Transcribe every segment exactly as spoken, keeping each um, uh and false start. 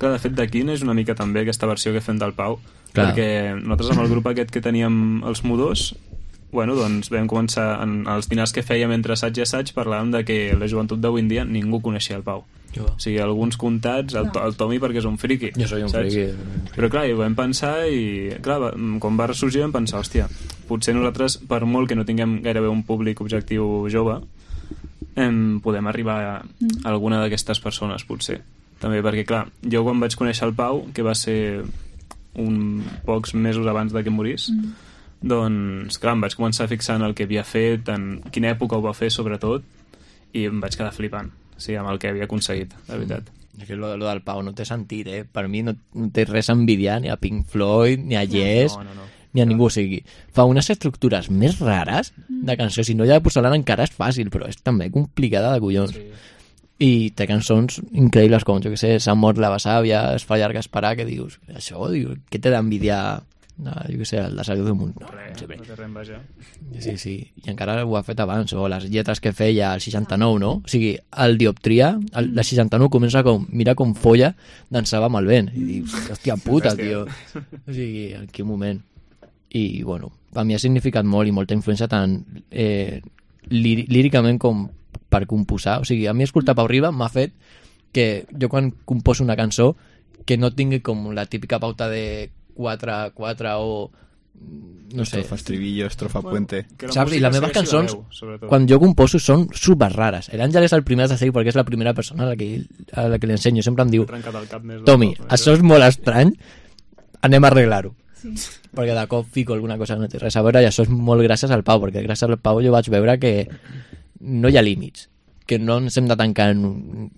Clar, de fet, d'aquí neix una mica també aquesta versió que fem del Pau, Clar. perquè nosaltres amb el grup aquest que teníem els Mudós, bueno, doncs vam començar en els dinars que fèiem entre assaig i assaig, parlàvem de que la joventut d'avui en dia ningú coneixia el Pau. Jo. O sigui, alguns comptats, el, el Tomi perquè és un friqui. Jo soy un saps? friqui. Però clar, ho vam pensar i clar, va- quan va ressorgir vam pensar, hòstia, potser nosaltres, per molt que no tinguem gairebé un públic objectiu jove, em, podem arribar a, a alguna d'aquestes persones, potser. També perquè, clar, jo quan vaig conèixer el Pau, que va ser un pocs mesos abans de que morís, mm. doncs, clar, em vaig començar a fixar en el que havia fet, en quina època ho va fer, sobretot, i em vaig quedar flipant, o sigui, amb el que havia aconseguit, la veritat. És que lo, lo del Pau no té sentit, eh? Per mi no, no té res a envidiar ni a Pink Floyd, ni a Yes, No, no, no. ni a ningú. O sigui, fa unes estructures més rares de cançó. Si no, ja de porcelana encara és fàcil, però és també complicada de collons. Sí. I té cançons increïbles com, jo que sé, S'ha mort la besàvia, Es fa llarg esperar, que dius, això, dius, què té d'envidiar, no, jo que sé, el de Salut del Munt? No, Res, no sé bé. no té res enveja. Sí, sí, i encara ho ha fet abans, o les lletres que feia al seixanta-nou, no? O sigui, el Dioptria, el, la seixanta-nou comença com, mira com folla, dansava amb el vent, i dius, hòstia puta, tio. O sigui, en quin moment. I, bueno, per mi ha significat molt i molta influència tant eh, líri- líricament com per composar. O sigui, a mi escoltar Pau Riba m'ha fet que jo quan composo una cançó que no tingui com la típica pauta de quatre quatre o no sé, Estrofa, estribillo, estrofa, puente. que saps? I música les meves segueixi la cançons, veu, sobretot. quan jo composo, són super rares. L'Àngel és el primer de seguir perquè és la primera persona a la que, a la que li ensenyo. Sempre em diu, M'he trencat el cap més de Tomi, tot, això és molt estrany, anem a arreglar-ho. Sí. Perquè de cop fico alguna cosa que no té res a veure i això és molt gràcies al Pau, perquè gràcies al Pau jo vaig veure que no hi ha límits, que no ens hem de tancar en, un,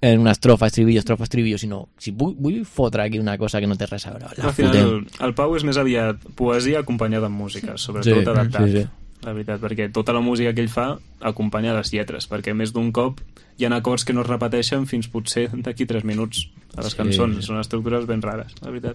en una estrofa, estribillo, estrofa, estribillo, sinó si vull, vull fotre aquí una cosa que no té res a veure, la Al final, fotem. el, el Pau és més aviat poesia acompanyada amb música, sobretot Sí, adaptat. sí, sí. La veritat, perquè tota la música que ell fa acompanya les lletres, perquè més d'un cop hi ha acords que no es repeteixen fins potser d'aquí tres minuts a les Sí. cançons. Són estructures ben rares, la veritat.